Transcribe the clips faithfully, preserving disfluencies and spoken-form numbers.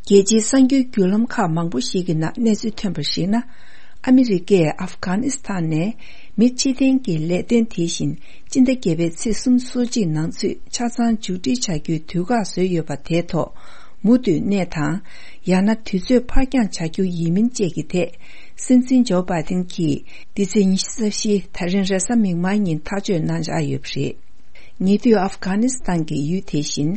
རྒྱལ་སྤྱིའི་གསར་འགྱུར་བརྒྱུད་ལམ་ཁག་མང་པོ་ཞིག་གི་ནང་གནས་ཚུལ་ཐོན་པར་གཞིགས་ན། ཨ་མི་རི་ཀས་ཨབ་གྷ་ནི་སི་ཐན་ནས་མི་ཕྱིར་འཐེན་གྱི་ལས་དོན་དེ་བཞིན་སྤྱི་ཟླ་བརྒྱད་པའི་ཚེས་སུམ་ཅུ་སོ་གཅིག་ནང་ཚུད་ཆ་ཚང་མཇུག་སྒྲིལ་བྱ་རྒྱུའི་དུས་བཀག་བཟོས་ཡོད་པ་དེའི་ཐོག་མུ་མཐུད་གནས་དང་། ཡང་ན་དུས་ཚོད་ཕར་འགྱངས་བྱ་རྒྱུ་ཡིན་མིན་བཅས་ཀྱི་ཐད། སྲིད་འཛིན་ཇོ་བྷའི་ཏིན་གྱིས་འདི་ཚེས་ཉི་ཤུ་རྩ་བཞི་ད་རིང་རེས་གཟའ་མིག་དམར་ཉིན་ཐག་གཅོད་གནང་འཆར་ཡོད་པ་རེད། ཉེ་དུས་ཨབ་གྷ་ནི་སི་ཐན་གྱི་ཡུལ་དེ་བཞིན་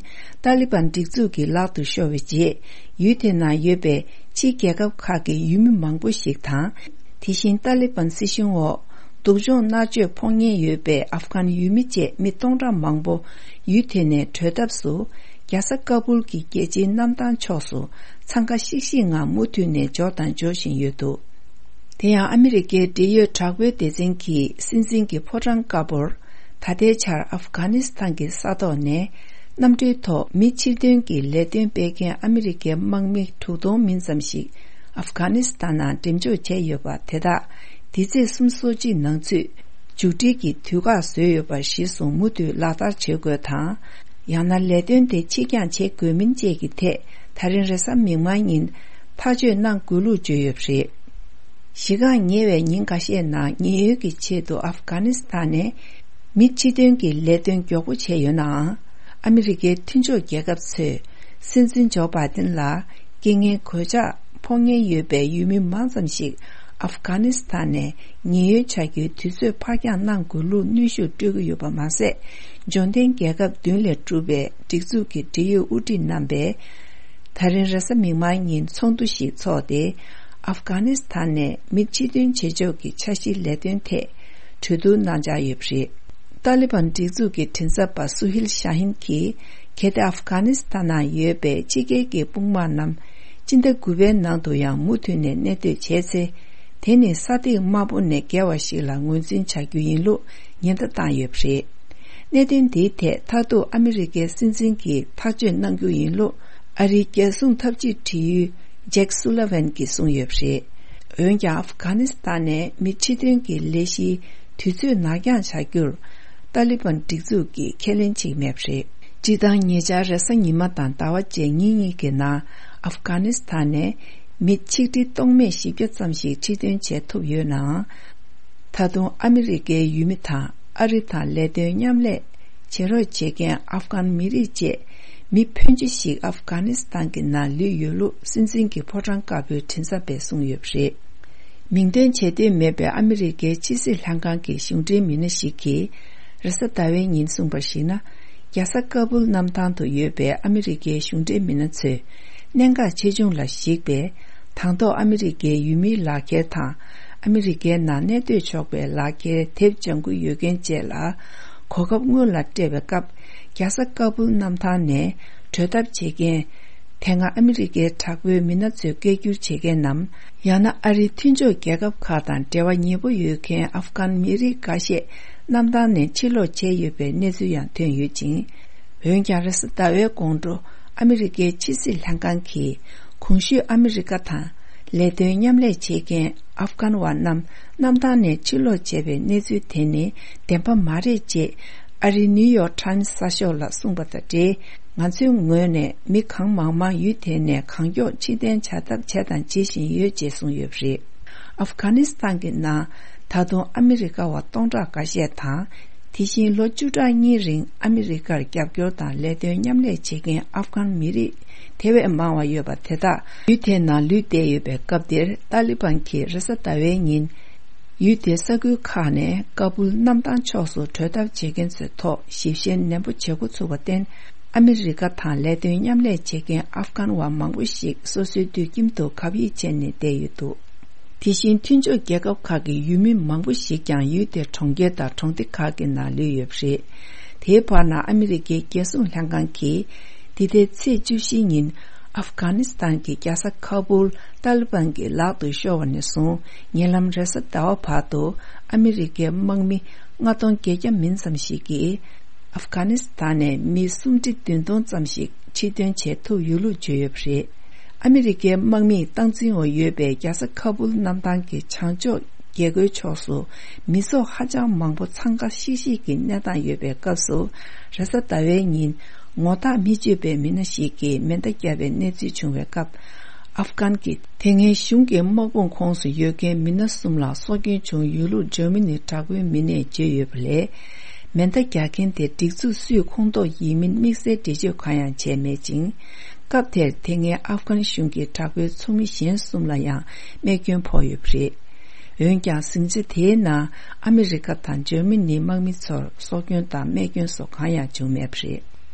ཏཱ་ལི་བན་སྒྲིག་འཛུགས་ཀྱི་ལག་ཏུ་ཤོར་བའི་རྗེས། ཡུལ་དེ་ནང་ཡོད་པའི་ཕྱིའི་རྒྱལ་ཁབ་ཁག་གི་ཡུལ་མི་མང་པོ་ཞིག་དང་། དེ་བཞིན་ཏཱ་ལི་བན་སྲིད་གཞུང་འོག་སྡུག་སྦྱོང་མནར་གཅོད་ཕོག་ཉེན་ཡོད་པའི་ཨབ་གྷན་ཡུལ་མི་བཅས་མི་སྟོང་ཕྲག་མང་པོ་ཡུལ་དེ་ནས་བྲོས་ཐབས་སུ། རྒྱལ་ས་ཀ་བུལ་གྱི་རྒྱལ་སྤྱིའི་གནམ་ཐང་ཕྱོགས་སུ་འཚང་ཁ་ཤིག་ཤིག་ངང་མུ་མཐུད་ནས་འབྱོར་དང་འབྱོར་བཞིན་ཡོད་འདུག་དེ་ཡང་ཨ་མི་རི་ཀའི་འབྲེལ་ཡོད་དྲག་པོའི་སྡེ་ཚན་གྱིས་སྲིད་འཛིན་གྱི་ཕོ་བྲང་དཀར་པོར། ད་ལྟའི་ཆར་ཨབ་གྷ་ནི་སི་ཐན་གྱི་ས་ཐོག་ནས་གནམ་གྲུའི་ཐོག་མི་ཕྱིར་འདོན་གྱི་ལས་དོན་སྤེལ་མཁན་ཨ་མི་རི་ཀའི་དམག་མི་དྲུག་སྟོང་མིན་ཙམ་ཞིག་ཨབ་གྷ་ནི་སི་ཐན་ནང་འགྲེམས་འཇོག་བྱས་ཡོད་པ་དེ་དག་འདི་ཚེས་སུམ་ཅུ་སོ་གཅིག་ནང་ཚུད་མཇུག་སྒྲིལ་གྱི་དུས་བཀག་བཟོས་ཡོད་པ་གཞིར་བཟུང་མུ་མཐུད་ལག་བསྟར་བྱེད་དགོས་དང་། ཡང་ན་ལས་དོན་དེ་ཕྱིར་འགྱངས་བྱེད་དགོས་མིན་བཅས་ཀྱི་ཐད་ད་རིང་རེས་གཟའ་མིག་དམར་ཉིན་ཐག་གཅོད་གནང་དགོས་ལུགས་བརྗོད་ཡོད་པ་རེད། གཞི་རྐང་ཉེ་བའི་ཉིན་ཁ་ཤས་ནང་ཉེན་གཡོལ་གྱི་ཆེད་དུ་ཨབ་གྷ་ནི་སི་ཐན་ནས་མི་ཕྱིར་འདོན་གྱི་ལས་དོན་མགྱོགས་པོ་བྱས་ཡོད་ནའང་། ཨ་མི་རི་ཀའི་མཐུན་ཕྱོགས་རྒྱལ་ཁབ་ཚོས་སྲིད་འཛིན་ཇོ་བྷའི་ཏིན་ལ་རྐྱེན་ངན་གོད་ཆག་ཕོག་ཉེན་ཡོད་པའི་ཡུལ་མི་མང་ཙམ་ཞིག་ཨབ་གྷ་ནི་སི་ཐན་ནས་ཉེན་གཡོལ་བྱ་རྒྱུའི་དུས་ཚོད་ཕར་འགྱངས་གནང་དགོས་ལུགས་གནོན་ཤུགས་སྤྲོད་ཀྱི་ཡོད་པ་མ་ཟད། འབྱོར་ལྡན་རྒྱལ་ཁབ་བདུན་ལས་གྲུབ་པའི་སྒྲིག་འཛུགས་ཀྱི་འབྲེལ་ཡོད་དབུ་ཁྲིད་རྣམ་པས། ད་རིང་རེས་གཟའ་མིག་དམར་ཉིན་ཚོགས་འདུ་ཞིག་འཚོགས་ཏེ། ཨབ་གྷ་ནི་སི་ཐན་ནས་མི་ཕྱིར་འདོན་བྱེད་ཕྱོགས་ཀྱི་འཆར་གཞིའི་ལས་དོན་ཐད་གྲོས་བསྡུར་གནང་འཆར་ཡོད་པ་རེད། ཏཱ་ལི་བན་སྒྲིག་འཛུགས་ཀྱི་མགྲིན་ཚབ་པ་སུ་ཧིལ་ཤ་ཧིན་གྱིས། གལ་ཏེ་ཨབ་གྷ་ནི་སི་ཐན་ནང་ཡོད་པའི་ཕྱི་རྒྱལ་གྱི་དཔུང་དམག་རྣམས་སྤྱི་ཟླ་དགུ་པའི་ནང་དུ་ཡང་མུ་མཐུད་ནས་གནས་སྡོད་བྱས་ཚེ། དེ་ནི་ས་ཐིག་དམར་པོ་ནས་བརྒལ་བ་ཞིག་ལ་ངོས་འཛིན་བྱ་རྒྱུ་ཡིན་ལུགས་ཉེན་བརྡ་བཏང་ཡོད་པ་རེད། གནད་དོན་འདིའི་ཐད་མཐར་ཐུག་ཨ་མི་རི་ཀའི་སྲིད་འཛིན་གྱིས་ཐག་གཅོད་གནང་རྒྱུ་ཡིན་ལུགས་ཨ་རིའི་རྒྱལ་སྲུང་འཐབ་ཇུས་དྲི་ཡུལ་ཇེག་སུ་ལ་ཝན་གྱིས་གསུངས་ཡོད་པ་རེད། འོན་ཀྱང་ཨབ་གྷ་ནི་སི་ཐན་ནས་མི་ཕྱིར་འདོན་གྱི་ལས་གཞིའི་དུས་ཚོད་ནར་འགྱངས་བྱ་རྒྱུར་ཏཱ་ལི་བན་སྒྲིག་འཛུགས་ཀྱིས་ཁས་ལེན་བྱེད་ཀྱི་མེད་པ་རེད། སྤྱིར་བཏང་ཉེ་ཆར་རེས་གཟའ་ཉི་མ་དང་ཟླ་བ་བཅས་ཉིན་གཉིས་ཀྱི་ནང་ཨབ་གྷ་ནི་སི་ཐན་ནས་མི་ཆིག་ཁྲི་སྟོང་མེད་བཞི་བརྒྱ་ཙམ་ཞིག་ཕྱིར་འདོན་བྱས་ཐུབ་ཡོད་ནའང་། ད་དུང་ཨ་མི་རི་ཀའི་ཡུལ་མི་དང་ཨ་རི་དང་ལས་དོན་མཉམ་ལས་བྱེད་རོགས་བྱེད་མཁན་ཨབ་གྷན་མི་རིགས་བཅས་མི་ཕོན་ཆེ་ཞིག་ཨབ་གྷ་ནི་སི་ཐན་གྱི་ནང་ལུས་ཡོད་ལུགས་སྲིད་འཛིན་གྱི་ཕོ་བྲང་དཀར་པོའི་མགྲིན་ཚབ་པས་གསུངས་ཡོད་པ་རེད། མིང་འདོན་བྱེད་འདོད་མེད་པའི་ཨ་མི་རི་ཀའི་ཕྱི་སྲིད་ལྷན་ཁང་གི་གཞུང་འབྲེལ་མི་སྣ་ཞིག་གིས་རེས་གཟའ་ཟླ་བའི་ཉིན་གསུངས་པར་གཞིགས་ན། རྒྱལ་ས་ཀ་བུལ་གནམ་ཐང་དུ་ཡོད་པའི་ཨ་མི་རི་ཀའི་གཞུང་འབྲེལ་མི་སྣ་ཚོས་གནད་འགག་ཆེ་ཆུང་ལ་གཞིགས་པའི་དང་ཐོག་ཨ་མི་རི་ཀའི་ཡུལ་མིའི་ལག་འཁྱེར་དང་ཨ་མི་རི་ཀའི་ནང་གནས་སྡོད་ཆོག་པའི་ལག་འཁྱེར་དེབ་ལྗང་ཁུ་ཡོད་མཁན་བཅས་ལ་གོ་སྐབས་སྔོན་ལ་སྤྲད་པའི་སྐབས། རྒྱལ་ས་ཀ་བུལ་གནམ་ཐང་ནས་བྲོས་ཐབས་བྱེད་མཁན། དེ་སྔ་ཨ་མི་རི་ཀའི་དྲག་པོའི་མི་སྣ་ཚོས་སྐད་སྒྱུར་བྱེད་མཁན་ནམ། ཡང་ན་ཨ་རིའི་མཐུན་ཕྱོགས་རྒྱལ་ཁབ་ཁག་དང་འབྲེལ་བ་ཉེ་པོ་ཡོད་མཁན་ཨབ་གྷན་མི་རིགས་འགའ་ཤས་གནམ་ཐང་ནས་ཕྱིར་ལོག་བྱས་ཡོད་པའི་གནས་ཚུལ་ཡང་ཐོན་ཡོད་ཅིང་། འོན་ཀྱང་རེས་གཟའ་ཟླ་བའི་དགོང་དྲོ་ཨ་མི་རི་ཀའི་ཕྱི་སྲིད་ལྷན་ཁང་གིས་གོང་ཞུས་ཨ་མི་རི་ཀ་དང་ལས་དོན་མཉམ་ལས་བྱེད་མཁན་ཨབ་གྷན་བ་རྣམས་གནམ་ཐང་ནས་ཕྱིར་ལོག་བྱས་པའི་གནས་ཚུལ་དེ་ནི་བདེན་པ་མ་རེད་ཅེས་ཨ་རིའི་ནིའུ་ཡོག་ཊའིམ་གསར་ཤོག་ལ་གསུངས་པ་དང་འབྲེལ། ང་ཚོའི་ངོས་ནས་མི་གང་མང་མང་ཡུལ་དེ་ནས་གང་མགྱོགས་ཕྱིར་འཐེན་བྱ་ཐབས་བྱས་དང་བྱེད་བཞིན་ཡོད་ཅེས་གསུངས་ཡོད་པ་རེད། ཨབ་གྷ་ནི་སི་ཐན་གྱི་ནང་ད་དུང་ཨ་མི་རི་ཀ་བ་སྟོང་ཕྲག་འགའ་ཤས་དང་། དེ་བཞིན་ལོ་བཅུ་ཕྲག་གཉིས་རིང་ཨ་མི་རི་ཀར་རྒྱབ་སྐྱོར་དང་ལས་དོན་མཉམ་ལས་བྱེད་མཁན་ཨབ་གྷན་མི་རིགས་དེ་བས་མང་བ་ཡོད་པ་དེ་དག་ཡུལ་དེའི་ནང་ལུས་བསྡད་ཡོད་པའི་སྐབས་འདིར་ཏཱ་ལི་བན་གྱིས་རེས་གཟའ་ཟླ་བའི་ཉིན། ཡུལ་དེའི་ས་ཁུལ་ཁག་ནས་ཀ་བུལ་གནམ་ཐང་ཕྱོགས་སུ་བྲོས་ཐབས་བྱེད་མཁན་ཚོའི་ཐོག་ཞིབ་བཤེར་ནན་པོ་བྱེད་འགོ་ཚུགས་པར་བརྟེན། ཨ་མི་རི་ཀ་དང་ལས་དོན་མཉམ་ལས་བྱེད་མཁན་ཨབ་གྷན་བ་མང་པོ་ཞིག་སོ་སོའི་དུད་ཁྱིམ་དུ་གབ་ཡིབ་བྱས་ནས་བསྡད་ཡོད་འདུག་དེ་བཞིན་མཐུན་ཕྱོགས་རྒྱལ་ཁབ་ཁག་གི་ཡུལ་མི་མང་པོ་ཞིག་ཀྱང་ཡུལ་དེའི་གྲོང་ཁྱེར་དང་གྲོང་སྡེ་ཁག་གི་ནང་ལུས་ཡོད་པ་རེད། དེའི་བར་ན་ཨ་མི་རི་ཀའི་རྒྱལ་སྲུང་ལྷན་ཁང་གིས། འདི་ཟླའི་ཚེས་བཅུ་བཞི་ཉིན་ཨབ་གྷ་ནི་སི་ཐན་གྱི་རྒྱལ་ས་ཁ་བུལ་ཏཱ་ལི་བན་གྱི་ལག་ཏུ་ཤོར་བ་ནས་བཟུང་ཉེ་ལམ་རེས་གཟའ་ཟླ་བ་བར་དུ་ཨ་མི་རི་ཀའི་དམག་མི་ལྔ་སྟོང་བརྒྱད་བརྒྱ་མིན་ཙམ་ཞིག་གིས་ཨབ་གྷ་ནི་སི་ཐན་ནས་མི་སུམ་ཁྲི་བདུན་སྟོང་ཙམ་ཞིག་ཕྱིར་འདོན་བྱེད་ཐུབ་ཡོད་ལུགས་བརྗོད་ཡོད་པ་རེད། ཨ་མི་རི་ཀའི་དམག་མིས་སྟངས་འཛིན་འོག་ཡོད་པའི་རྒྱལ་ས་ཁ་བུལ་གནམ་ཐང་གི་བྱང་ཕྱོགས་རྒྱལ་སྒོའི་ཕྱོགས་སུ་མི་ཚོགས་ཧ་ཅང་མང་པོ་འཚང་ཁ་ཤིག་ཤིག་གི་གནས་སྟངས་ཡོད་པའི་སྐབས་སུ། རེས་གཟའ་ཟླ་བའི་ཉིན། ངོ་རྟགས་མི་གཅོད་པའི་མི་སྣ་ཞིག་གིས་མེ་མདའ་བརྒྱབ་པའི་གནས་ཚུལ་བྱུང་བའི་སྐབས། ཨབ་གྷན་གྱི་དེ་སྔའི་གཞུང་གི་དམག་དཔུང་ཁོངས་སུ་ཡོད་མཁན་མི་སྣ་གསུམ་ལ་སྲོག་སྐྱོན་བྱུང་། ཡོད་ལུགས་འཇར་མ་ནིའི་དྲག་པོའི་མི་སྣས་བརྗོད་ཡོད་པ་ལས། མེ་མདའ་རྒྱག་མཁན་དེ་སྒྲིག་འཛུགས་སུའི་ཁོངས་གཏོགས་ཡིན་མིན་དམིགས་བསལ་འགྲེལ་བརྗོད་གང་ཡང་བྱས་མེད་ཅིང་། སྐབས་དེར་དེ་སྔའི་ཨབ་གྷན་གཞུང་གི་དྲག་པོའི་ཚོགས་མི་གཞན་གསུམ་ལ་ཡང་རྨས་སྐྱོན་ཕོག་ཡོད་པ་རེད། འོན་ཀྱང་། ཟིང་ཆ་དེའི་ནང་ཨ་མི་རི་ཀ་དང་འཇར་མ་ནིའི་དམག་མི་ཚོར་སྲོག་སྐྱོན་དང་རྨས་སྐྱོན་སོགས་གང་ཡང་བྱུང་མེད་པ་རེད།